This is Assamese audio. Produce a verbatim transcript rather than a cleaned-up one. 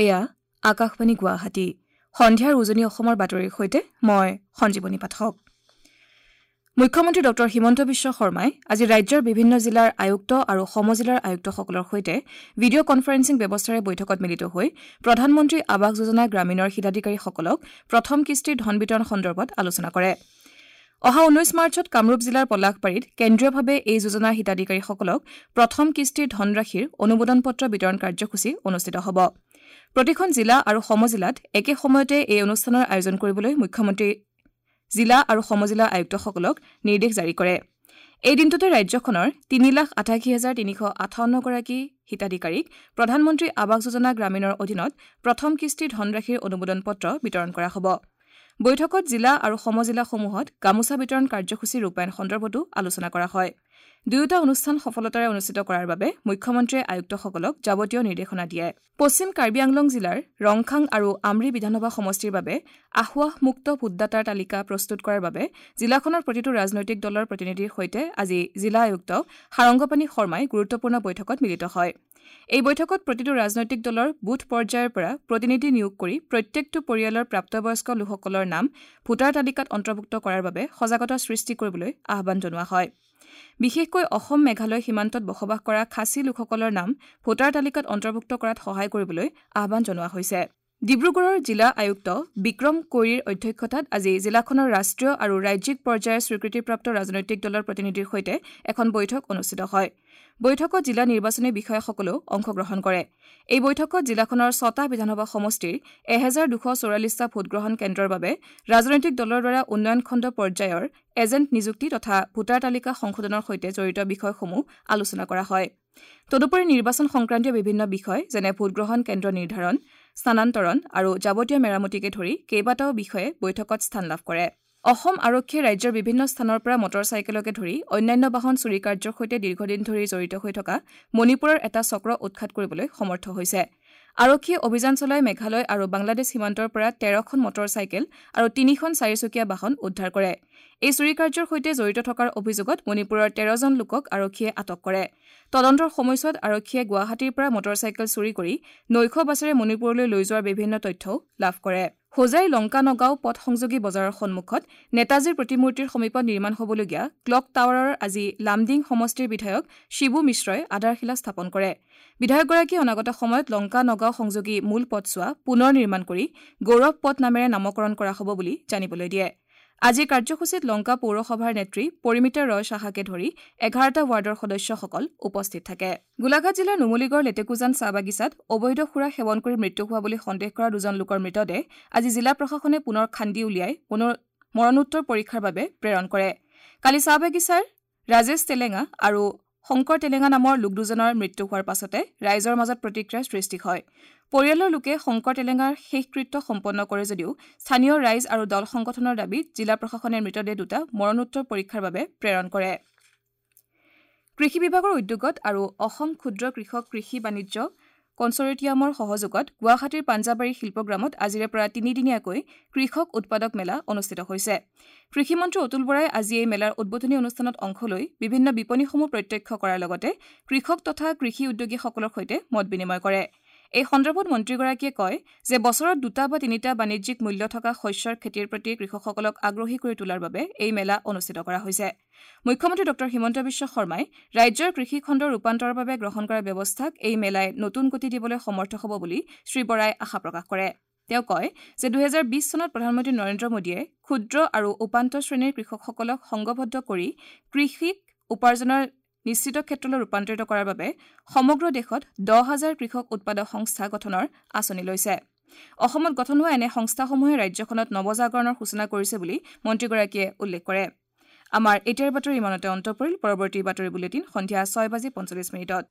এয়া আকাশবাণী গুৱাহাটী। সন্ধিয়াৰ উজনি অসমৰ বাতৰিৰ সৈতে মই সঞ্জীৱনী পাঠক। মুখ্যমন্ত্ৰী ডক্টৰ হিমন্ত বিশ্ব শৰ্মাই আজি ৰাজ্যৰ বিভিন্ন জিলাৰ আয়ুক্ত আৰু সমজিলাৰ আয়ুক্তসকলৰ সৈতে ভিডিঅ' কনফাৰেন্সিং ব্যৱস্থাৰে বৈঠকত মিলিত হৈ প্ৰধানমন্ত্ৰী আৱাস যোজনা গ্ৰামীণৰ হিতাধিকাৰীসকলক প্ৰথম কিস্তিৰ ধন বিতৰণ সন্দৰ্ভত আলোচনা কৰে। অহা ঊনৈশ মাৰ্চত কামৰূপ জিলাৰ পলাশবাৰীত কেন্দ্ৰীয়ভাৱে এই যোজনাৰ হিতাধিকাৰীসকলক প্ৰথম কিস্তিৰ ধনৰাশিৰ অনুমোদন পত্ৰ বিতৰণ কাৰ্যসূচী অনুষ্ঠিত হ'ব। প্ৰতিখন জিলা আৰু সমজিলাত একে সময়তে এই অনুষ্ঠানৰ আয়োজন কৰিবলৈ মুখ্যমন্ত্ৰী জিলা আৰু সমজিলা আয়ুক্তসকলক নিৰ্দেশ জাৰি কৰে। এই দিনটোতে ৰাজ্যখনৰ তিনি লাখ আঠাশী হাজাৰ তিনিশ আঠাৱন্নগৰাকী হিতাধিকাৰীক প্ৰধানমন্ত্ৰী আৱাস যোজনা গ্ৰামীণৰ অধীনত প্ৰথম কিস্তিৰ ধনৰাশিৰ অনুমোদন পত্ৰ বিতৰণ কৰা হ'ব। বৈঠকত জিলা আৰু সমজিলাসমূহত গামোচা বিতৰণ কাৰ্যসূচী ৰূপায়ণ সন্দৰ্ভতো আলোচনা কৰা হয়। দুয়োটা অনুষ্ঠান সফলতাৰে অনুষ্ঠিত কৰাৰ বাবে মুখ্যমন্ত্ৰীয়ে আয়ুক্তসকলক যাৱতীয় নিৰ্দেশনা দিয়ে। পশ্চিম কাৰ্বি আংলং জিলাৰ ৰংখাং আৰু আমৰি বিধানসভা সমষ্টিৰ বাবে আসোঁৱাহমুক্ত ভোটদাতাৰ তালিকা প্ৰস্তুত কৰাৰ বাবে জিলাখনৰ প্ৰতিটো ৰাজনৈতিক দলৰ প্ৰতিনিধিৰ সৈতে আজি জিলা আয়ুক্ত সাৰংগপাণি শৰ্মাই গুৰুত্বপূৰ্ণ বৈঠকত মিলিত হয়। এই বৈঠকত প্ৰতিটো ৰাজনৈতিক দলৰ বুথ পৰ্যায়ৰ পৰা প্ৰতিনিধি নিয়োগ কৰি প্ৰত্যেকটো পৰিয়ালৰ প্ৰাপ্তবয়স্ক লোকসকলৰ নাম ভোটাৰ তালিকাত অন্তৰ্ভুক্ত কৰাৰ বাবে সজাগতা সৃষ্টি কৰিবলৈ আহ্বান জনোৱা হয়। বিশেষকৈ অসম মেঘালয় সীমান্তত বসবাস কৰা খাচী লোকসকলৰ নাম ভোটাৰ তালিকাত অন্তৰ্ভুক্ত কৰাত সহায় কৰিবলৈ আহ্বান জনোৱা হৈছে। ডিব্ৰুগড়ৰ জিলা আয়ুক্ত বিক্ৰম কৈৰীৰ অধ্যক্ষতাত আজি জিলাখনৰ ৰাষ্ট্ৰীয় আৰু ৰাজ্যিক পৰ্যায়ৰ স্বীকৃতিপ্ৰাপ্ত ৰাজনৈতিক দলৰ প্ৰতিনিধিৰ সৈতে এখন বৈঠক অনুষ্ঠিত হয়। বৈঠকত জিলা নিৰ্বাচনী বিষয়াসকলেও অংশগ্ৰহণ কৰে। এই বৈঠকত জিলাখনৰ ছটা বিধানসভা সমষ্টিৰ এহেজাৰ দুশ চৌৰাল্লিছটা ভোটগ্ৰহণ কেন্দ্ৰৰ বাবে ৰাজনৈতিক দলৰ দ্বাৰা উন্নয়ন খণ্ড পৰ্যায়ৰ এজেণ্ট নিযুক্তি তথা ভোটাৰ তালিকা সংশোধনৰ সৈতে জড়িত বিষয়সমূহ আলোচনা কৰা হয়। তদুপৰি নিৰ্বাচন সংক্ৰান্তীয় বিভিন্ন বিষয় যেনে ভোটগ্ৰহণ কেন্দ্ৰ নিৰ্ধাৰণ, স্থানান্তৰণ আৰু যাৱতীয় মেৰামতিকে ধৰি কেইবাটাও বিষয়ে বৈঠকত স্থান লাভ কৰে। অসম আৰক্ষীয়ে ৰাজ্যৰ বিভিন্ন স্থানৰ পৰা মটৰ চাইকেলকে ধৰি অন্যান্য বাহন চুৰি কাৰ্যৰ সৈতে দীৰ্ঘদিন ধৰি জড়িত হৈ থকা মণিপুৰৰ এটা চক্ৰ উৎখাত কৰিবলৈ সমৰ্থ হৈছে। আৰক্ষীয়ে অভিযান চলাই মেঘালয় আৰু বাংলাদেশ সীমান্তৰ পৰা তেৰখন মটৰ চাইকেল আৰু তিনিখন চাৰিচকীয়া বাহন উদ্ধাৰ কৰে। এই চুৰি কাৰ্যৰ সৈতে জড়িত থকাৰ অভিযোগত মণিপুৰৰ তেৰজন লোকক আৰক্ষীয়ে আটক কৰে। তদন্তৰ সময়ছোৱাত আৰক্ষীয়ে গুৱাহাটীৰ পৰা মটৰ চাইকেল চুৰি কৰি নৈশ বাছেৰে মণিপুৰলৈ লৈ যোৱাৰ বিভিন্ন তথ্যও লাভ কৰে। হোজাই লংকা নগাঁও পথ সংযোগী বজাৰৰ সন্মুখত নেতাজীৰ প্ৰতিমূৰ্তিৰ সমীপত নিৰ্মাণ হ'বলগীয়া ক্লক টাৱাৰৰ আজি লামডিং সমষ্টিৰ বিধায়ক শিবু মিশ্ৰই আধাৰশিলা স্থাপন কৰে। বিধায়কগৰাকীয়ে অনাগত সময়ত লংকা নগাঁও সংযোগী মূল পথছোৱা পুনৰ নিৰ্মাণ কৰি গৌৰৱ পথ নামেৰে নামকৰণ কৰা হ'ব বুলি জানিবলৈ দিয়ে। আজিৰ কাৰ্যসূচীত লংকা পৌৰসভাৰ নেত্ৰী পৰিমিতা ৰয় সাহাকে ধৰি এঘাৰটা ৱাৰ্ডৰ সদস্যসকল উপস্থিত থাকে। গোলাঘাট জিলাৰ নুমলীগড় লেটেকুজান চাহ বাগিচাত অবৈধ সুৰা সেৱন কৰি মৃত্যু হোৱা বুলি সন্দেহ কৰা দুজন লোকৰ মৃতদেহ আজি জিলা প্ৰশাসনে পুনৰ খান্দি উলিয়াই মৰণোত্তৰ পৰীক্ষাৰ বাবে প্ৰেৰণ কৰে। কালি চাহ বাগিচাৰ ৰাজেশ তেলেঙা আৰু শংকৰ তেলেঙা নামৰ লোক দুজনৰ মৃত্যু হোৱাৰ পাছতে ৰাইজৰ মাজত প্ৰতিক্ৰিয়াৰ সৃষ্টি হয়। পৰিয়ালৰ লোকে শংকৰ তেলেঙাৰ শেষকৃত্য সম্পন্ন কৰে যদিও স্থানীয় ৰাইজ আৰু দল সংগঠনৰ দাবীত জিলা প্ৰশাসনে মৃতদেহ দুটা মৰণোত্তৰ পৰীক্ষাৰ বাবে প্ৰেৰণ কৰে। কৃষি বিভাগৰ উদ্যোগত আৰু অসম ক্ষুদ্ৰ কৃষক কৃষি বাণিজ্য কনচৰ্টিয়ামৰ সহযোগত গুৱাহাটীৰ পাঞ্জাবাৰী শিল্পগ্ৰামত আজিৰে পৰা তিনিদিনীয়াকৈ কৃষক উৎপাদক মেলা অনুষ্ঠিত হৈছে। কৃষিমন্ত্ৰী অতুল বৰাই আজি এই মেলাৰ উদ্বোধনী অনুষ্ঠানত অংশ লৈ বিভিন্ন বিপণীসমূহ প্ৰত্যক্ষ কৰাৰ লগতে কৃষক তথা কৃষি উদ্যোগীসকলৰ সৈতে মত বিনিময় কৰে। এই সন্দৰ্ভত মন্ত্ৰীগৰাকীয়ে কয় যে বছৰত দুটা বা তিনিটা বাণিজ্যিক মূল্য থকা শস্যৰ খেতিৰ প্ৰতি কৃষকসকলক আগ্ৰহী কৰি তোলাৰ বাবে এই মেলা অনুষ্ঠিত কৰা হৈছে। মুখ্যমন্ত্ৰী ডক্টৰ হিমন্ত বিশ্ব শৰ্মাই ৰাজ্যৰ কৃষি খণ্ডৰ ৰূপান্তৰৰ বাবে গ্ৰহণ কৰা ব্যৱস্থাক এই মেলাই নতুন গতি দিবলৈ সমৰ্থ হ'ব বুলি শ্ৰী বৰাই আশা প্ৰকাশ কৰে। তেওঁ কয় যে দুহেজাৰ বিছ চনত প্ৰধানমন্ত্ৰী নৰেন্দ্ৰ মোদীয়ে ক্ষুদ্ৰ আৰু উপান্ত শ্ৰেণীৰ কৃষকসকলক সংঘবদ্ধ কৰি কৃষিক উপাৰ্জনৰ নিশ্চিত ক্ষেত্ৰলৈ ৰূপান্তৰিত কৰাৰ বাবে সমগ্ৰ দেশত দহ হাজাৰ কৃষক উৎপাদক সংস্থা গঠনৰ আঁচনি লৈছে। অসমত গঠন হোৱা এনে সংস্থাসমূহে ৰাজ্যখনত নৱজাগৰণৰ সূচনা কৰিছে বুলি মন্ত্ৰীগৰাকীয়ে উল্লেখ কৰে। আমাৰ এতিয়াৰ বাতৰি ইমানতে অন্ত পৰিল। পৰৱৰ্তী বাতৰি বুলেটিন সন্ধিয়া ছয় বাজি পঞ্চল্লিছ মিনিটত।